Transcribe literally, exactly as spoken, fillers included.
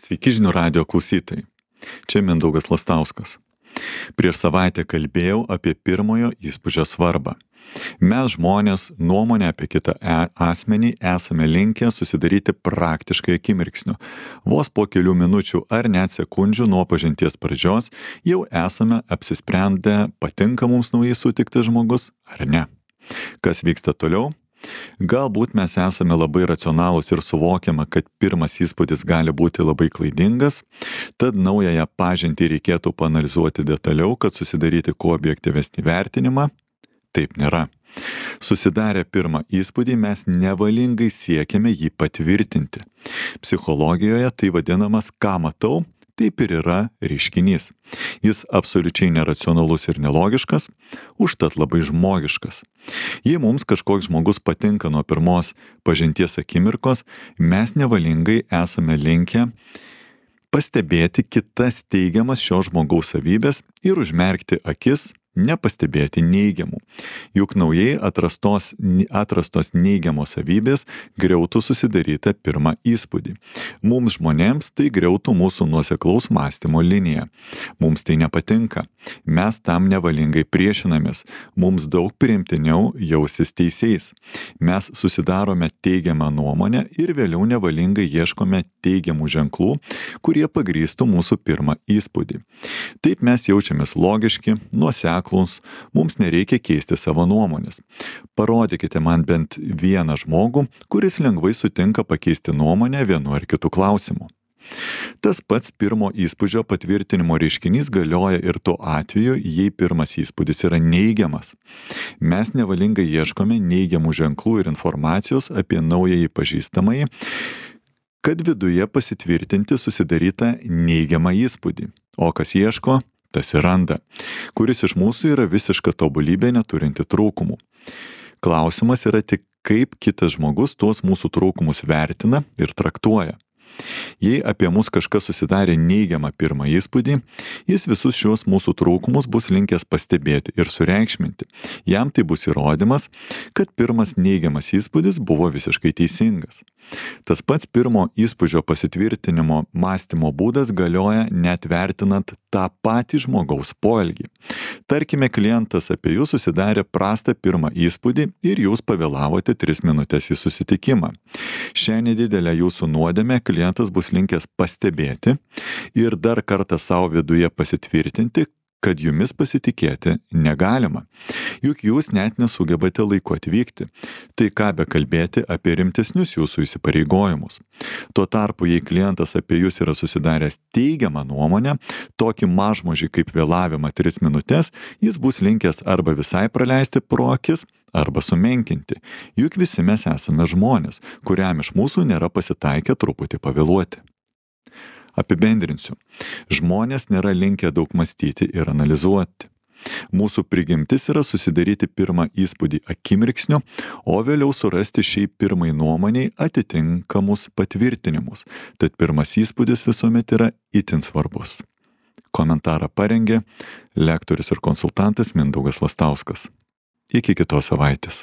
Sveiki žinių radijo klausytojai. Čia Mindaugas Lastauskas. Prieš savaitę kalbėjau apie pirmojo įspūdžio svarbą. Mes žmonės nuomonę apie kitą e- asmenį esame linkę susidaryti praktiškai akimirksniu. Vos po kelių minučių ar net sekundžių nuo pažinties pradžios jau esame apsisprendę, patinka mums naujai sutiktas žmogus ar ne. Kas vyksta toliau? Galbūt mes esame labai racionalūs ir suvokiame, kad pirmas įspūdis gali būti labai klaidingas, tad naująją pažintį reikėtų paanalizuoti detaliau, kad susidaryti kuo objektyvesnį vertinimą. Taip nėra. Susidarę pirmą įspūdį mes nevalingai siekiame jį patvirtinti. Psichologijoje tai vadinamas ką matau, taip ir yra reiškinys. Jis absoliučiai neracionalus ir nelogiškas, užtat labai žmogiškas. Jei mums kažkoks žmogus patinka nuo pirmos pažinties akimirkos, mes nevalingai esame linkę pastebėti kitas teigiamas šio žmogaus savybės ir užmerkti akis, nepastebėti neigiamų. Juk naujai atrastos, atrastos neigiamos savybės griautų susidarytą pirmą įspūdį. Mums žmonėms tai griautų mūsų nuoseklaus mąstymo liniją. Mums tai nepatinka. Mes tam nevalingai priešinamės. Mums daug priimtiniau jausis teisėjais. Mes susidarome teigiamą nuomonę ir vėliau nevalingai ieškome teigiamų ženklų, kurie pagrįstų mūsų pirmą įspūdį. Taip mes jaučiamės logiški, nuoseklūs, mums nereikia keisti savo nuomonės. Parodykite man bent vieną žmogų, kuris lengvai sutinka pakeisti nuomonę vienu ar kitu klausimu. Tas pats pirmo įspūdžio patvirtinimo reiškinys galioja ir tuo atveju, jei pirmas įspūdis yra neigiamas. Mes nevalingai ieškome neigiamų ženklų ir informacijos apie naująjį pažįstamąjį, kad viduje pasitvirtinti susidarytą neigiamą įspūdį. O kas ieško, tas ir randa. Kuris iš mūsų yra visiška tobulybė neturinti trūkumų. Klausimas yra tik, kaip kitas žmogus tuos mūsų trūkumus vertina ir traktuoja. Jei apie mus kažkas susidarė neigiamą pirmą įspūdį, jis visus šios mūsų trūkumus bus linkęs pastebėti ir sureikšminti. Jam tai bus įrodymas, kad pirmas neigiamas įspūdis buvo visiškai teisingas. Tas pats pirmo įspūdžio pasitvirtinimo mąstymo būdas galioja net vertinant tą patį žmogaus poelgį. Tarkime, klientas apie jūs susidarė prastą pirmą įspūdį ir jūs pavėlavote tris minutės į susitikimą. Šią nedidelę jūsų nuodėmę klientas bus linkęs pastebėti ir dar kartą savo viduje pasitvirtinti, kad jumis pasitikėti negalima. Juk jūs net nesugebate laiku atvykti. Tai ką bekalbėti apie rimtesnius jūsų įsipareigojimus. Tuo tarpu, jei klientas apie jūs yra susidaręs teigiamą nuomonę, tokį mažmožį kaip vėlavimą tris minutės, jis bus linkęs arba visai praleisti pro akis, arba sumenkinti. Juk visi mes esame žmonės, kuriam iš mūsų nėra pasitaikę truputį pavėluoti. Apibendrinsiu. Žmonės nėra linkę daug mąstyti ir analizuoti. Mūsų prigimtis yra susidaryti pirmą įspūdį akimirksniu, o vėliau surasti šiai pirmai nuomoniai atitinkamus patvirtinimus. Tad pirmas įspūdis visuomet yra itin svarbus. Komentarą parengė lektorius ir konsultantas Mindaugas Lastauskas. Iki kitos savaitės.